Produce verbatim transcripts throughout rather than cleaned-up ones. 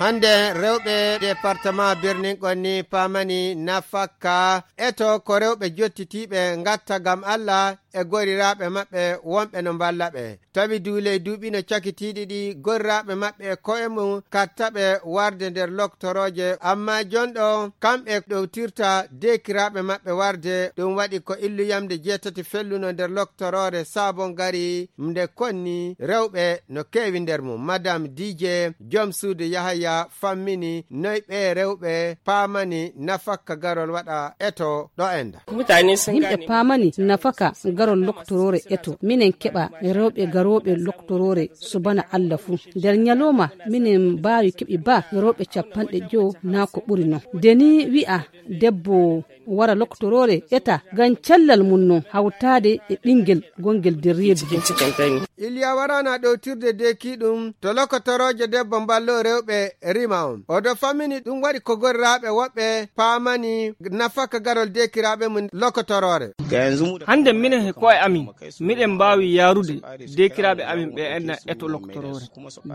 Hannde rewɓe département Birnin Konni paamani nafakka eto ko rewɓe jottitiiɓe ngatta ngam Allah e goriraaɓe maɓɓe wonɓe no mballa ɓe. Tawi duuley duuɓi no cakitiiɗi ɗi goriraaɓe maɓɓe e ko'e mum katta ɓe warde nder loktorooje, amma jonɗo kamɓe ɗowtirta deekiraaɓe maɓɓe warde. Ɗum waɗi ko illu yamde jeetati felluno nder loktoroore Sabon Gari nde konni rewɓe no keewi nder mum. Madame D J, joom suudu Yahaya fammini noy ɓe rewɓe paamani nafakka garol waɗa eto ɗo enda. Yimɓe paamani nafaka garol loktoroore eto. Minen keɓa rewɓe garooɓe loktoroore subana Allah fuu. Nder ñalooma minen mbaawi keɓi ba rewɓe capanɗe jowo naa ko ɓuri non. Nde ni wi'a debbo wara loktoroore eta ngam cellal mum non hawtaade e ɓingel gongel nder reedu. Iliya warana ɗowtirde deeki ɗum to lokotorooje debbo mballo rewɓe rima on. Oɗo fammini ɗum waɗi ko goriraaɓe woɓɓe paamani nafaka garol deekiraaɓe mum lokotoroore. Hannde minen he ko'e amin, miɗen mbaawi yaarude deekiraaɓe amin ɓe enna eto lokotoroore.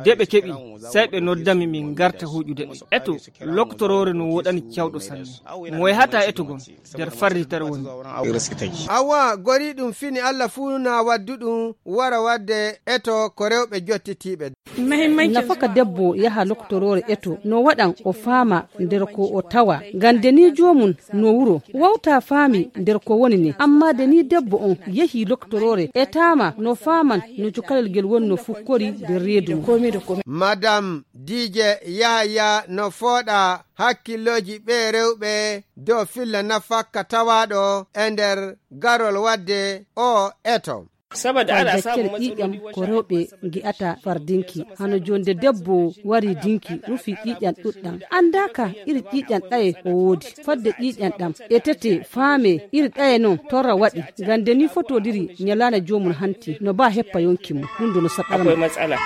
De ɓe keɓi, sey ɓe noddami min ngarta huuƴude ɓe. Eto, lokotoroore no woɗani cawɗo sanne. Mo yahata etogol nder farritere woni. Awa, gori ɗum fini Allah fuu na waddu ɗum wara wadde eto ko rewɓe jottitiiɓe. Nafaka debbo yaha lokotoroore eto no waɗan o faama nder ko o tawa. Ngam de ni joomum no wuro wawta faami nder ko woni ni. Amma de ni debbo on yehi lokotoroore etaama no faaman no cukalel ngel woni no fukkori nder reedu mum. Madame D J Yahaya no fooɗa hakkillooji ɓe rewɓe dow filla nafakka tawaaɗo e nder garol wadde o eto. Fay gaccere ƴiiƴam ko rewɓe ngi'ata far dinki. Hano jonde debbo wari dinki, rufi ƴiiƴam ɗuɗɗam. Andaaka iri ƴiiƴam ɗaye o woodi. Fadde ƴiiƴam ɗam etete faame iri ɗaye non torra waɗi. Ngam de ni fotodiri ñalaana joomum hanti no ba heppa yonki mum. Ɗum do no saɗɗara mo.